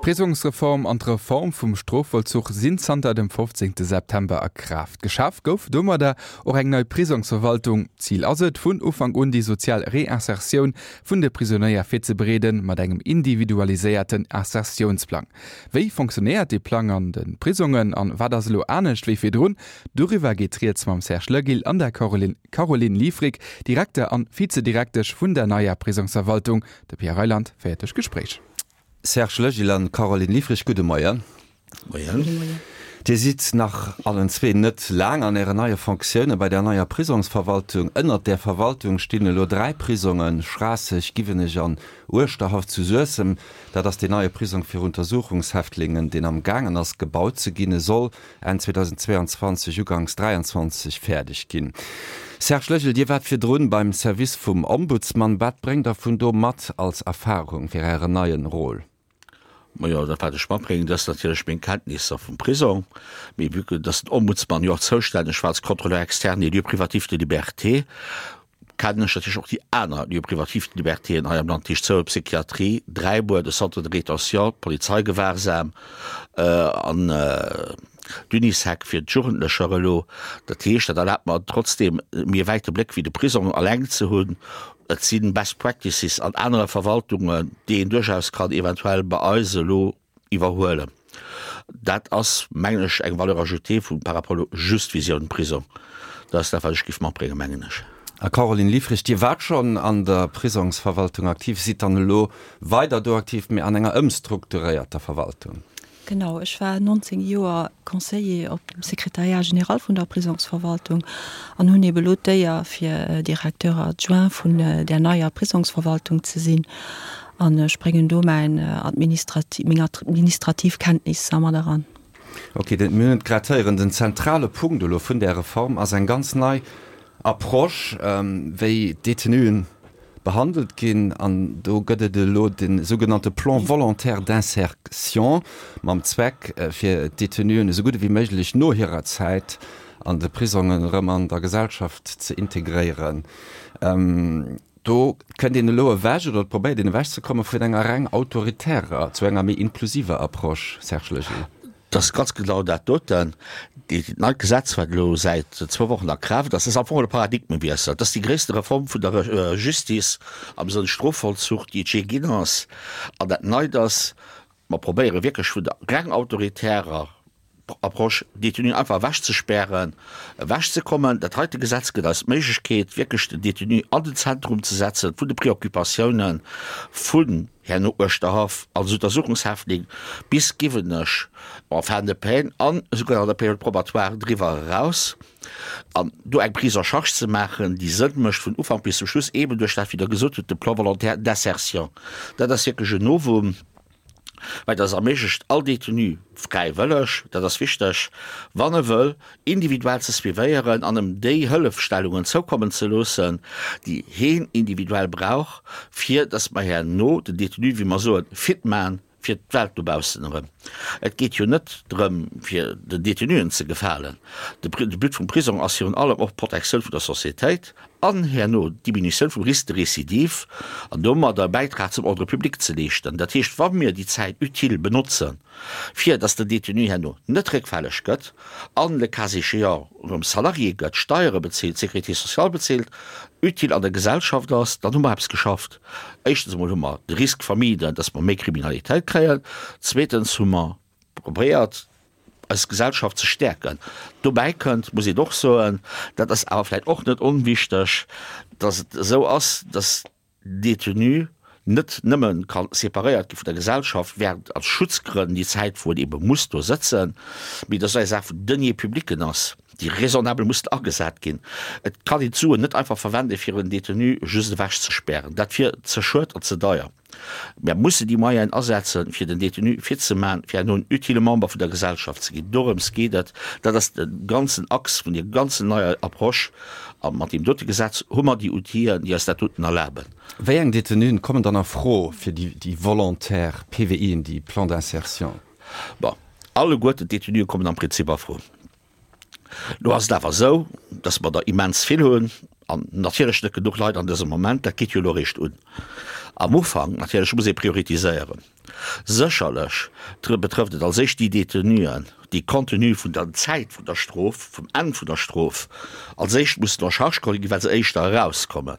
D'Prisongsreform an d'Reform vum Strofvollzuch sinn zanter dem 15 September a Kraaft. Geschaf gouf domadder och eng nei Prisongsverwaltung. Zil ass et, vun Ufank un déi sozial Reinsertioun vun de Prisonéier virzebereeden, mat engem individualiséierten Insertiounsplang. Wéi fonctionnéiert dee Plang an de Prisongen an wat ass elo anescht wéi virdrun? Doriwwer geet rieds mam Serge Legil an der Caroline Liefrick, Direkter an Vizedirektesch vun der neier Prisongsverwaltung. De Pierre Reyland féiert duerch d'Gespréich. Serge Legil an Caroline Liefrich, gudde Moien. Moien. Dir sidd nach allen zwee net laang an Ären neie Fonctioune bei der neier Prisongsverwaltung. Ënnert där Verwaltung stinn elo 3 Prisongen, Schraasseg, Giwenech an Uerschterhaff zu Suessem. Dat ass deen neie Prisong fir Untersuchungshäftlingen, deen am gaangen ass gebaut ze ginn. E soll Enn 2022, uganks 23 fäerdeg ginn. Serge Legil, Dir waart virdrun beim Service vum Ombudsman. Wat bréngt der vun do mat als Erfahrung fir Ären neien Rôle? Majo, dat wat ech matbréngen, dat ass natierlech meng Kenntnisser vum Prisong. Mee vue que dass den Ombudsman jo och zoustänneg war als Contrôleur externe des lieux privatifs de liberté, kennen ech natierlech och déi aner Lieux privatifs de libertéen hei am Land, dat heescht d'Zoue Psychiatrie, Dräibuer, de Centre de rétention, d'Polizeigewahrsam an d'Unisec fir d'Jugendlecher elo. Dat heescht, dat erlaabt mer trotzdeem méi e wäite Bléck wéi de Prisong alleng ze hunn. Et si Best Practices an anere Verwaltungen, déi een duerchaus kann eventuell bei eis elo iwwerhuelen. Dat ass, mengen ech, eng Valeur ajoutée vu par rapport elo just Visioun Prisong. Dat ass dat, wat ech géif matbréngen, mengen ech. A Caroline Liefrich, Dir waart schonn an der Prisongsverwaltung aktiv, sidd dann elo weider do aktiv, mee an enger ëmstrukturéierter Verwaltung. Genau, ech war 19 Joer Conseiller op dem Secrétariat général vun der Prisongsverwaltung an hunn ebe lo d'Éier, fir Directeur adjoint vun där neier Prisongsverwaltung ze sinn. An ech bréngen do mäin administrati-, meng administrativ Kenntnisser mat eran. Ok, den, mir hunn et grad héieren, den zentrale Punkt elo vun där Reform ass eng ganz nei Approche, wéi d'Detenuen behandelt ginn. An do gëtt et elo de sougenannte Plan volontaire d'insertion mam Zweck, fir d'Detenuen esou gutt ewéi méiglech no hirer Zäit an de Prisongen erëm an der Gesellschaft ze integréieren. Do kënnt een elo ewech, oder et probéiert een ewechzekomme vun enger reng autoritärer zu enger méi inklusiver Approche, Serge Legil. Dat ass ganz genau dat doten. Dat neit Gesetz, wat elo säit zwou Wochen a Kraaft ass, ass am Fong e Paradigmewiessel. Dat ass déi gréisste Reform vun der Justice am Sënn Strofvollzuch, déi et jee ginn ass. An dat Neit ass, mer probéiere wierklech vun der reng autoritärer Approche, Détenuen einfach ewechzespären, ewechzekommen. Dat heite Gesetz gëtt eis d'Méiglechkeet, wierklech den Détenu an den Zentrum ze setzen vun de Préoccupatiounen vun herno Uerschterhaff als Untersuchungshäftling bis Giwenech en fin de peine an esouguer an der Période probatoire driwwer eraus, an do eng Prise en charge ze maachen, déi Sënn mécht vun Ufank bis zum Schluss, eeben duerch dat, wéi Der gesot hutt, de Plan volontaire d'insertion. Dat ass wierklech en Novum. Well dat erméiglecht all Détenu fräiwëlleg, dat ass wichteg, wann e wëll, individuell ze suivéieren an em déi Hëllefstellungen zoukommen ze loossen, déi heen individuell brauch, fir dass mer herno den Détenu, wéi mer soen, fit man fir d'Welt dobaussen erëm. Et geet jo net drëm, fir den Détenuen ze gefalen. De But vum Prisong ass virun allem och d'Protektioun vun der Sociétéit an herno d'Diminutioun vum Risque de récidive an domadder e Bäitrag zum Ordre public ze leeschten. Dat heescht, wa mir déi Zäit utile benotzen, fir datt den Détenu herno net réckfälleg gëtt an, le cas échéant, erëm Salarié gëtt, Steiere bezilt, Sécurité sociale bezilt, utile an der Gesellschaft ass, dann hu mer eppes geschafft. Éischtens emol hu mer de Risque vermiden, datt mer méi Kriminalitéit kréien. Zweetens hu mer probéiert, eis Gesellschaft ze stäerken. Dobäi kënnt, muss een och soen, dat ass awer vläicht och net onwichteg, dass et esou ass, dass Détenu net nëmme ka separéiert gi vun der Gesellschaft während, als Schutzgrënn, déi Zäit, wou en ebe muss do sëtzen, mee dass et eng Saach vun Deniers publics ass, déi raisonnabel mussen agesat ginn. Et kann een d'Suen net einfach verwenden, fir en Détenu just ewechzespären. Dat wier ze schued an ze deier. Mär mussen déi Moyenen asetzen, fir den Détenu fit ze maachen, fir herno en utile Member vun der Gesellschaft ze ginn. Dorëms geet et. Dat ass de ganzen Axe vun deer ganzen neier Approche. A mat deem dote Gesetz hu mer déi Outiller, déi eis dat doten erlaben. Wéi eng Détenuen kommen dann a Fro fir déi volontaire PVIen, déi Plans d'insertion? Bon, alleguerten d'Détenuen kommen am Prinzip a Fro. Lo ass et awer esou, dass mer der immens vill hunn an natierlech net genuch Leit an dësem Moment. Dat geet jo elo eréischt un. Am Ufank natierlech muss ee prioritiséieren. Sécherlech betrëfft et als éischt déi Détenuen, déi compte tenu vun der Zäit vun der Strof, vum Enn vun der Strof, als éischt mussen en charge geholl ginn, well se éischter erauskommen.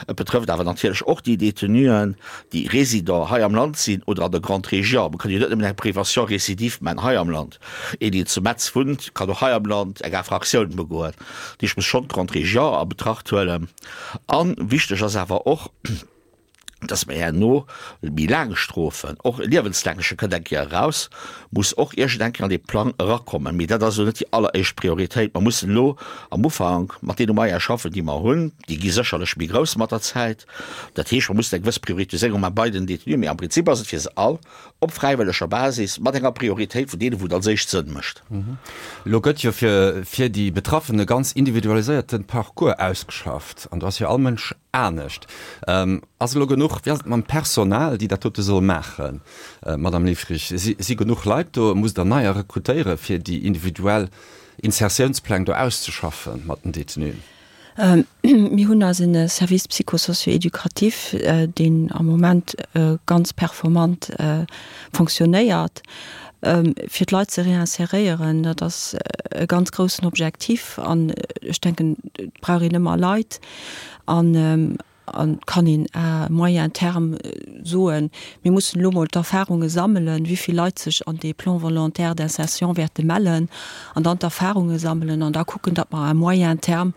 Et betrëfft awer natierlech och déi Détenuen, déi Résident hei am Land sinn oder an der Grande Région. Mer kënnen jo net nëmmen eng Prévention récidive maachen hei am Land. Een, deen zu Metz wunnt, kann och hei am Land eng Infractioun begoen. Dat heescht, ech muss schonn d'Grande Région a Betracht huelen. A wichteg ass awer och, dass mer herno méi laang Strofen, och e liewenslängleche kënnt eng Kéier eraus, muss och iergend eng Kéier an dee Plang erakommen. Mee dat ass elo net déi alleréischt Prioritéit. Mer mussen elo am Ufank mat deene Moyene schaffen, déi mer hunn. Déi gi sécherlech méi grouss mat der Zäit. Dat heescht, mer mussen eng gewëss Prioritiséierung maache bei den Détenuen. Mee am Prinzip ass et fir se all op fräiwëlleger Basis, mat enger Prioritéit vun deenen, wou et als éischt Sënn mécht. Elo gëtt jo fir fir déi Betraffen e ganz individualiséierte Parcours ausgeschafft an do ass jo all Mënsch anescht. Ass elo genuch, wéi ass et mam Personal, déi dat dote soll maachen, Madame Liffrig? Si si genuch Leit do? Musst Der neier rekrutéiere fir déi individuell Insertiounspläng do auszeschaffe mat den Détenuen? Mir hunn eisen Service psycho-socio-éducatif, deen am Moment ganz performant fonctionnéiert, fir d'Leit ze réinséréieren. Dat ass e ganz groussen Objektiv an ech denken, et brauch een ëmmer Leit. An kann een à moyen terme soen, mir mussen elo mol d'Erfahrunge sammelen, wéi vill Leit sech an dee Plan volontaire d'insertion wäerte mellen an dann d'Erfahrunge sammelen an da kucken, datt mer à moyen terme,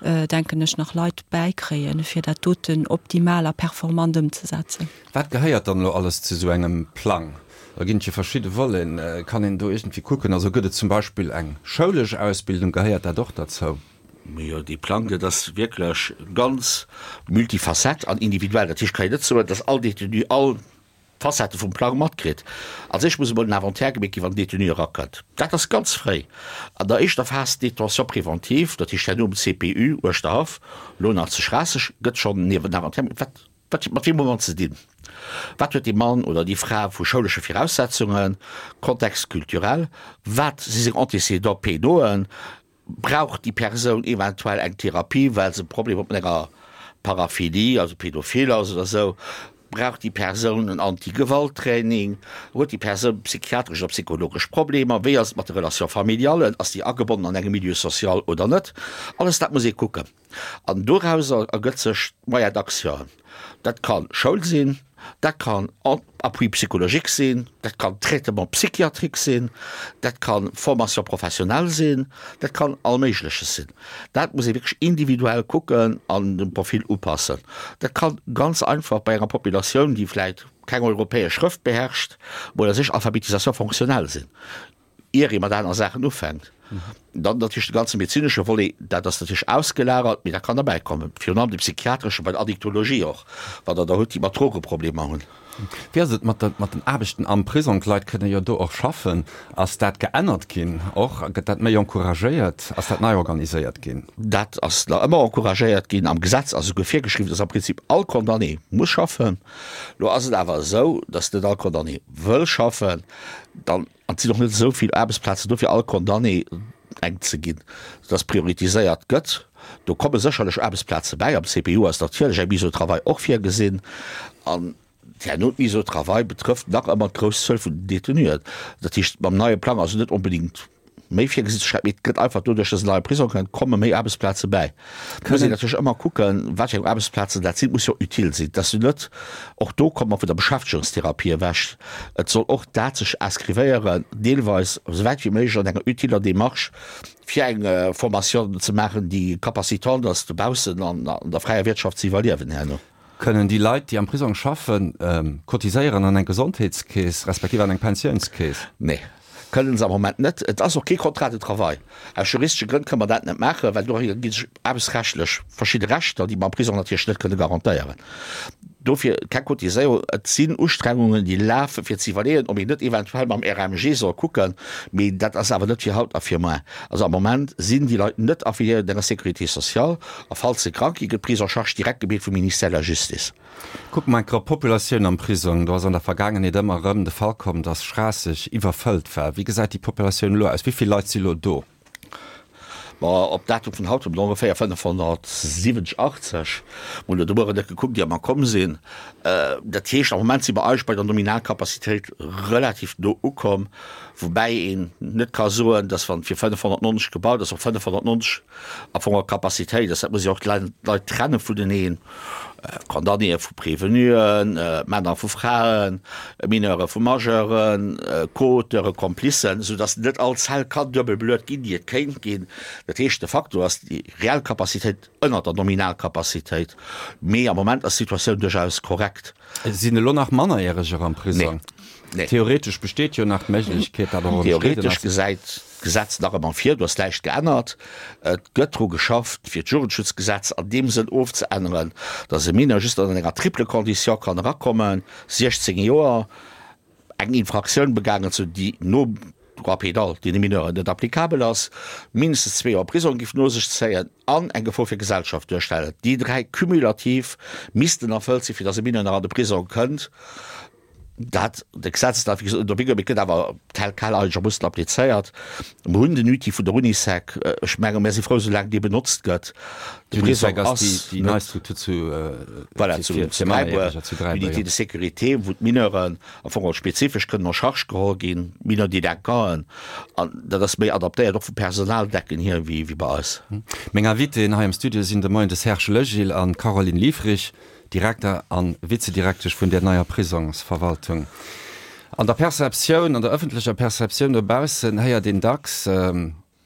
denken ech, nach Leit bäikréien, fir dat doten optimal a performant ëmzesetzen. Wat gehéiert dann elo alles zu esou engem Plang? Da ginn et jo verschidde Voleten. Kann een do iergendwéi kucken, also gëtt et zum Beispill eng schoulesch Ausbildung, gehéiert dat och derzou? Jo, dee Plang, dat ass wierklech ganz multifacette an individuell. Dat heescht, et kann een net soen, dass all Détenu all Facettë vum Plang matkritt. Als éischt muss emol den Inventaire gemeet ginn, wann den Détenu erakënnt. Dat ass ganz fréi an der éischter Phas détention préventive, dat heescht herno um CPU Uerschterhaff, elo nach zu Schraasseg, gëtt schonn en Inventaire gemaach. Wat, wat, mat weem hu mer ze dinn? Wat huet dee Mann oder déi Fra vu schoulesche Viraussetzungen, Contexte culturel, wat si seng Antécédents pénauxen? Brauch déi Persoun eventuell eng Therapie, well se Problemer huet mat enger Paraphilie, also pädophil ass oder esou? Brauch déi Persoun en Anti-Gewalt-Training? Huet déi Persoun psychiatresch oder psychologesch Problemer? Wéi ass et mat de Relations familiales? Ass déi agebonnen an engem Milieu social oder net? Alles dat muss ee kucken. An dorauser ergëtt sech d'Moyen d'action. Dat ka Schoul sinn, dat kann Appui psychologique sinn, dat kann Traitement psychiatrique sinn, dat ka Formation professionnelle sinn, dat kann all Méigleches sinn. Dat muss ee wierklech individuell kucken an dem Profil upassen. Dat ka ganz einfach bei enger Populatioun, déi vläicht keng europäesch Schrëft beherrscht, mol a sech Alphabetisation fonctionnelle sinn. ier ee mat aner Saachen ufänkt. Dann natierlech de ganze medezinesche Volet, dat ass natierlech ausgelagert, mee dat kann derbäi kommen. Virun allem de psychiatresche, bei der Addiktologie och, wann Der der hutt, déi mat Drogeproblemer hunn. Wéi ass et mat de, mat den Aarbechten am Prisong? D'Leit kënne jo do och schaffen. Ass dat geännert ginn och? Gëtt dat méi encouragéiert? Ass dat nei organiséiert ginn? Dat ass nach ëmmer encouragéiert ginn. Am Gesetz ass esouguer virgeschriwwen, dass am Prinzip all Condamné muss schaffen. Lo ass et awer esou, dass net all Condamné wëll schaffen. Dann An et sinn och net esou vill Aarbechtsplazen do fir all Condamné eng ze ginn, soudass prioritiséiert gëtt. Do komme sécherlech Aarbechtsplaze bäi. Am CPU ass natierlech eng Mise au travail och virgesinn. An herno d'Mise au travail betrëfft nach ëmmer d'grouss Zuel vun den Détenuen. Dat heescht, mam neie Plang ass net onbedéngt méi virgesinn ze schreiwen, mee et gëtt einfach doduerch, dass en neie Prisong kënnt, komme méi Aarbechtsplaze bäi. Et muss een natierlech ëmmer kucken, wat fir eng Aarbechtsplazen dat sinn. Et muss jo utile sinn, dass du net, och do komme mer vun der Beschäftegungstherapie ewech, et soll och dat sech inscrivéieren, deelweis esou wäit wéi méiglech an enger utiler Démarche, fir eng Formation ze maachen, déi capacitant ass, dobaussen an der fräier Wirtschaft ze iwwerliewen herno. Kënnen déi Leit, déi am Prisong schaffen, cotiséieren an eng Gesondheetskeess respektiv an eng Pensiounskeess? Nee, kënnen se am Moment net. Et ass och kee Contrat de travail. Aus juristesche Grënn kënne mer dat net maachen, well do erginn sech aarbechtsrechtlech verschidde Rechter, déi mer am Prisong natierlech net kënne garantéieren. Dofir keng Cotiséierung. Et sinn Ustrengungen, déi lafen, fir ze iwwerleeën, ob een net eventuell mam RMG soll kucken, mee dat ass awer net fir haut a fir muer. Also am Moment sinn déi Leit net affiliéiert un enger Sécurité sociale a falls se krank ginn, gëtt d'Prise en charge direkt gemeet vum Ministère de la Justice. Kucke mer eng Kéier op d'Populatioun am Prisong. Do ass an der Vergaangenheet ëmmer erëm de Fall komm, dass Schraasseg iwwerfëllt war. Wéi gesäit déi Populatioun elo aus? Wéi vill Leit si lo do? Bon, op Datum vun haut hu mer ongeféier 570, 80. Mer hunn elo de Mueren net gekuckt, ier mer komm sinn. Dat heescht, am Moment si mer eigentlech bei der Nominalcapacitéit relativ no ukomm, woubäi een net ka soen, dass wann fir 590 gebaut ass, och 590 am Fong och Capacitéit ass. Dat muss ee och d'Leit trenne vuneneen, Condamnéë vu Prévenuen, Männer vu Fraen, Mineure vu Majeuren, Co-Auteure, Komplicen, soudass net all Zell kann duebel beluet ginn, déi et kéint ginn. Dat heescht, de facto ass déi reell Capacitéit ënnert der Nominalcapacitéit, mee am Moment ass d'Situatioun duerchaus korrekt. Et sinn elo nach Mannerjäreger am Prisong. Nee. Theoretesch besteet jo nach d'Méiglechkeet, dat och ëmstridden Theoretesch ass. gesäit d'Gesetz nach ëmmer vir, do ass näischt geännert. Et gëtt dru geschafft, fir d'Jugendschutzgesetz an deem Sënn ofzeänneren, datt e Mineur just ënner enger triple Condition kann erakommen, 16 Joer, eng Infraktioun begaangen ze hunn, déi nom Droit pénal deene Mineuren net applicabel ass, mindestens zwee Joer Prisong géif no sech zéien an eng Gefor fir d'Gesellschaft duerstellen. Déi dräi cumulativ missten erfëllt sinn, fir datt e Mineur nach an de Prisong kënnt. Dat, de Gesetz ass nach, wéi gesot, net op, mee et gëtt awer tel quel eigentlech am Muster applizéiert. Mer hunn den Outil vun der Unisec. Ech menge mir si frou, soulaang dee benotzt gëtt. De Prisong ass déi nei Struktur zu voilà, zu, zu Dräibuer, zu Dräibuer, Unité de sécurité, wou d'Mineuren am Fong och spezifesch kënnen en charge geholl ginn, Mineurs délinquanten. An dat ass méi adaptéiert och vum Personaldecken hier wéi, wéi bei eis. Meng Invitéen hei am Studio sinn de Moien de Serge Legil an d'Caroline Liefrich. Direkter a Vizedirektesch vun där neier Prisongsverwaltung. An der Perceptioun, an der ëffentlecher Perceptioun dobaussen héiert een dacks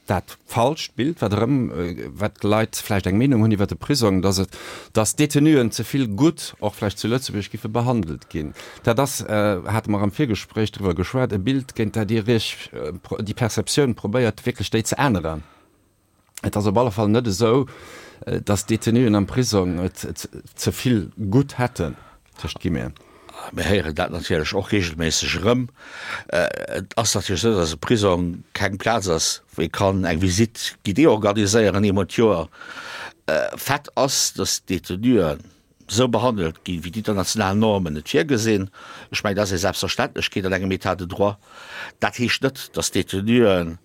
dat falscht Bild, wat erëm, wat d'Leit vläicht eng Meenung hunn iwwer de Prisong, dass et, dass d'Detenuen ze vill gutt, och vläicht zu Lëtzebuerg, giffe behandelt ginn. Dat ass, hate mer am Virgespréich driwwer geschwat, e Bild, géint dat Dir Iech, déi Perceptioun probéiert wierklech déi ze änneren. Et ass op alle Fall net esou, datt d'Detenuen am Prisong et ze vill gutt hätten, tëscht Guillemeten. Mir héieren dat natierlech och reegelméisseg erëm. Et ass natierlech esou, datt e Prisong keng Plaz ass, wou ee kann eng Visite guidée organiséieren eemol d'Joer. Fait ass, datt d'Detenuen esou behandelt ginn, wéi d'international Normen et virgesinn. Ech mengen, dat ass eng Selbstverständlechkeet an engem État de droit. Dat heescht net, datt d'Detenuen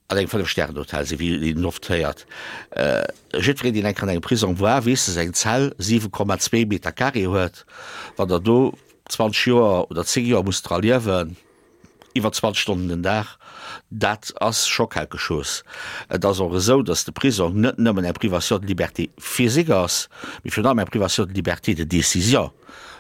An engem Fënnef-Stären-Hotel sinn, wéi een oft héiert. Jiddwereen, deen eng Kéier an engem Prisong war, weess, dass eng Zell 7,2 Meter carré huet. Wann Der do 20 Joer oder 10 Joer musst dra liewen, iwwer 20 Stonnen den Dag, dat ass scho quelque chose. Et ass och esou, dass de Prisong net nëmmen eng Privation de liberté physique ass, mee virun allem eng Privation de liberté de décision.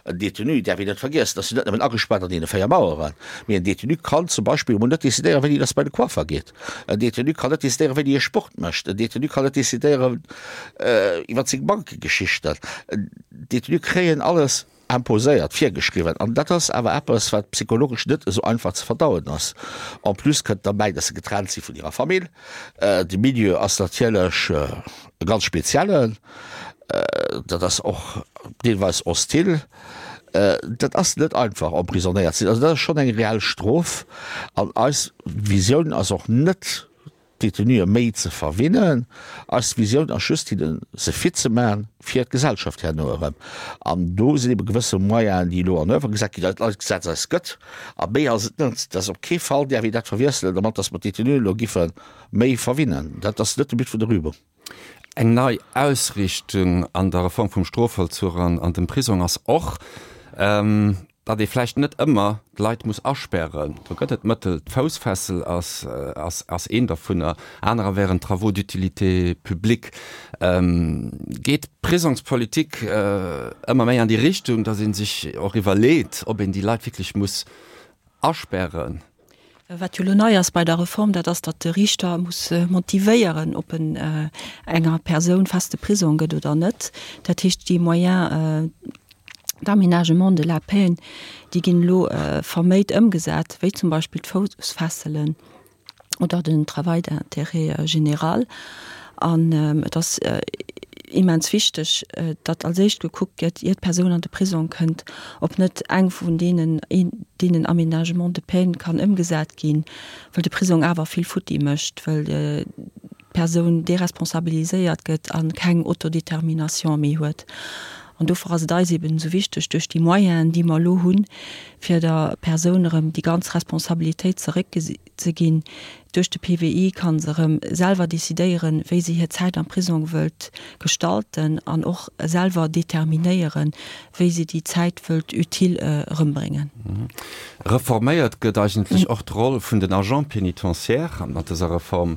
En Détenu däerf een net vergiessen, ass jo net nëmmen agespaart an deene 4 Maueren, mee en Détenu kann zum Beispill emol net decidéieren, wéini dass bei de Coiffer geet. En Détenu kann net decidéieren, wéini e Sport mécht. En Détenu kann net decidéieren iwwer seng Bankegeschichten. D'Détenue kréien alles imposéiert, virgeschriwwen. An dat ass awer eppes, wat psychologesch net esou einfach ze verdauen ass. En plus kënnt derbäi, dass se getrennt si vun hirer Famill. De Milieu ass natierlech e ganz speziellen. Dat ass och deelweis hostil. Dat ass net einfach, emprisonnéiert ze sinn. Also dat ass schonn eng reell Strof. An eis Visioun ass och net, d'Detenuë méi ze verwinnen. Eis Visioun ass just, hinne se fit ze maachen fir d'Gesellschaft herno erëm. An do sinn ebe gewësse Moyenen, déi elo en oeuvre gesat ginn, dat eist Gesetz eis gëtt. A méi ass et net. Dat ass op kee Fall däerf een dat verwiesselen dermat, datt mer d'Detenuen elo giffe méi verwinnen. Dat ass net de But vun der Übung. Eng nei Ausrichtung an der Reform vum Strofvollzuch an an dem Prisong ass och, datt ee vläicht net ëmmer d'Leit muss aspären. Do gëtt et Mëttel, d'Foussfessel ass ass ass een dervunner, anerer wären Travaux d'utilité publique. Geet d'Prisongspolitik ëmmer méi an déi Richtung, datt ee sech och iwwerleet, ob een déi Leit wierklech muss aspären? Wat jo elo nei ass bei der Reform, dat ass, datt de Riichter muss motivéieren, ob en enger Persoun feste Prisong gëtt oder net. Dat heescht, déi Moyens d'aménagement de la peine, déi ginn elo verméit ëmgesat, wéi zum Beispill d'Foussfesselen. oder den Travail d'intérêt général. An et ass immens wichteg, datt als éischt gekuckt gëtt, ier d'Persoun an de Prisong kënnt, ob net eng vun deenen, een deenen Aménagements de peine kann ëmgesat ginn, well de Prisong awer vill futti mécht, well d'Persoun deresponsabiliséiert gëtt a keng Autodétermination méi huet. An dofir ass et eis eben esou wichteg, duerch déi Moyenen, déi mer elo hunn, fir der Persoun erëm déi ganz Responsabilitéit zeréckzeginn, Duerch de PWI ka se erëm selwer decidéieren, wéi se hir Zäit am Prisong wëllt gestalten an och selwer determinéieren, wéi se déi Zäit wëllt utile erëmbréngen. Reforméiert gëtt eigentlech och d'Roll vun den Agents pénitentiaires mat dëser Reform,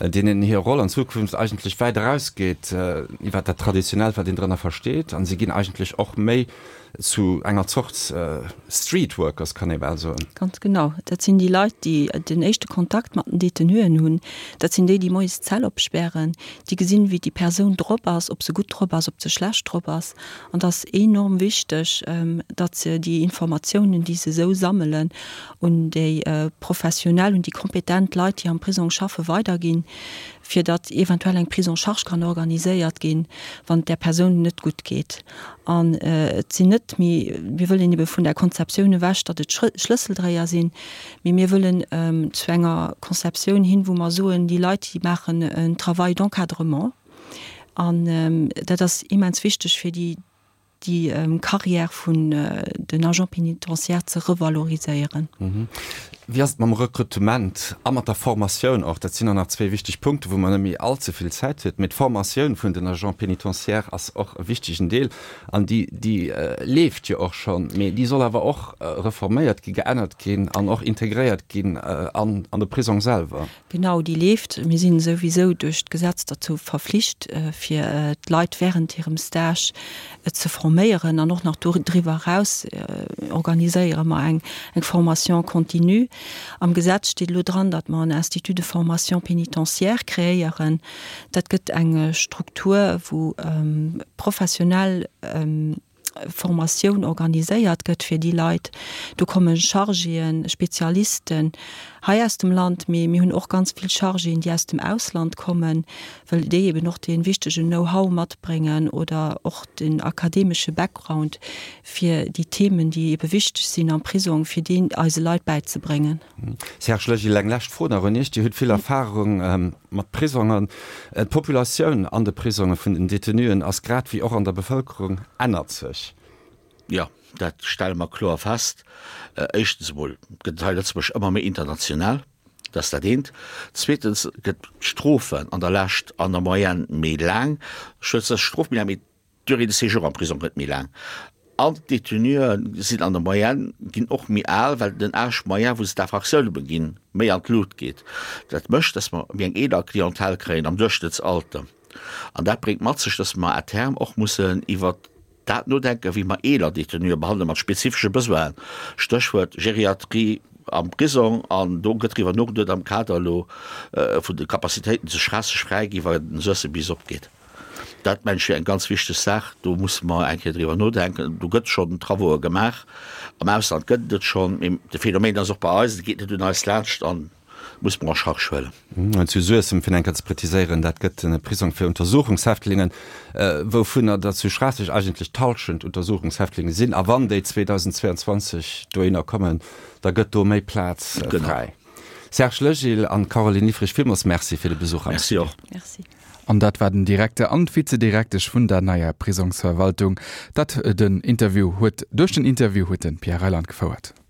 deenen hir Roll an Zukunft eigentlech wäit erausgeet iwwer dat Traditionellt, wat een drënner versteet, a si ginn eigentlech och méi zu enger Zort Street Workers, kann ee bal soen. Ganz genau. Dat sinn déi Leit, déi den éischte Kontakt mat den Detenuen hunn. Dat sinn déi, déi moies d'Zell opspären, déi gesinn, wéi déi Persoun drop ass, ob se gutt drop ass, ob se schlecht drop ass. An et ass enorm wichteg, datt se déi Informatiounen, déi se esou sammelen, un déi professionell, un déi kompetent Leit, déi am Prisong schaffen, weiderginn, fir datt eventuell eng Prise en charge kann organiséiert ginn, wann et där Persoun net gutt geet. An et sinn net méi, mir wëllen ebe vun der Konzeptioun ewech, datt et Schlësseldréier sinn, mee mir wëllen zu enger Konzeptioun hin, wou mer soen, déi Leit, déi maachen en Travail d'encadrement. An dat ass immens wichteg, fir déi déi Carrière vun den Agents pénitentiaires ze revaloriséieren. Wéi ass et mam Rekrutement a mat der Formatioun och? Dat sinn och nach zwee wichteg Punkten, wou mer net méi all ze vill Zäit huet. Mee d'Formatioun vun den Agents pénitentiaires ass och e wichtegen Deel an déi, déi leeft jo och schonn, mee déi soll awer och reforméiert ginn, geännert ginn an och integréiert ginn an de Prisong selwer. Genau, déi leeft. Mir sinn souwisou duerch d'Gesetz derzou verflicht, fir d'Leit während hirem Stage ze forméieren. An och nach doriwwer eraus organiséiere mer eng Formation continue. Am Gesetz steet elo dran, datt mer en Institut de formation pénitentiaire kreéieren. Dat gëtt eng Struktur, wou professionell Formatioun organiséiert gëtt fir déi Leit. Do komme Chargéen, Spezialisten hei aus dem Land, mee mir hunn och ganz vill Chargéen, déi aus dem Ausland kommen, well déi eben och dee wichtegen Know-how matbréngen oder och den akademesche Background, fir déi Themen, déi ebe wichteg sinn am Prisong, fir déi eise Leit bäizebréngen. Serge Legil, eng lescht Fro nach un Iech. Dir hutt vill Erfahrung mat Prisongen. D'Populatioun an de Prisonge vun den Detenuen ass grad wéi och an der Bevëlkerung ännert sech. Jo, dat stelle mer kloer fest. Éischtens emol gëtt et hei Lëtzebuerg ëmmer méi international, dat ass dat eent. Zweetens gëtt d'Strofen an der Lescht an der Moyenne méi laang. Ech wëll net Strof méi laang, mee D'Durée de séjour am Prisong gëtt méi laang an d'Détenuen sinn an der Moyenne ginn och méi al, well den Âge moyen, wou se d'Infractioune beginn, méi an d'Lut geet. Dat mécht, dass mer méi eng eeler Clientèle kréien am Duerchschnëttsalter. An dat bréngt mat sech, dass mer à terme och mussen iwwert dat nodenken, wéi mer eeler Détenue behandele mat spezifesche Besoinen, Stéchwuert Geriatrie am Prisong. An do gëtt driwwer nogeduet am Kader elo vun de Capacitéiten, déi sech schraasseg fräi ginn, wa den Suessem bis opgeet. Dat mengen ech wier eng ganz wichteg Saach. Do musse mer eng Kéier driwwer nodenken. Do gëtt schonn Travauxë gemaach. Am Ausland gëtt et et schonn. Mee de Phänomen ass och bei eis. Et geet net un eis laanscht an muss mer en charge huelen. An zu Suessem, fir eng Kéier ze präziséieren, dat gëtt e Prisong fir Untersuchungshäftlingen, wouvunner der zu Schraasseg eigentlech d'Hallschent Untersuchungshäftlinge sinn. A wann déi 2022 dohinner kommen, da gëtt do méi Plaz fräi. Serge Legil an Caroline Liffrig, villmools Merci fir de Besuch am Studio. Merci och. An dat war den Direkter an d'Vizedirektesch vun der neier Prisongsverwaltung. Dat den Interview huet duerch den Interview huet de Pierre Reyland gefouert.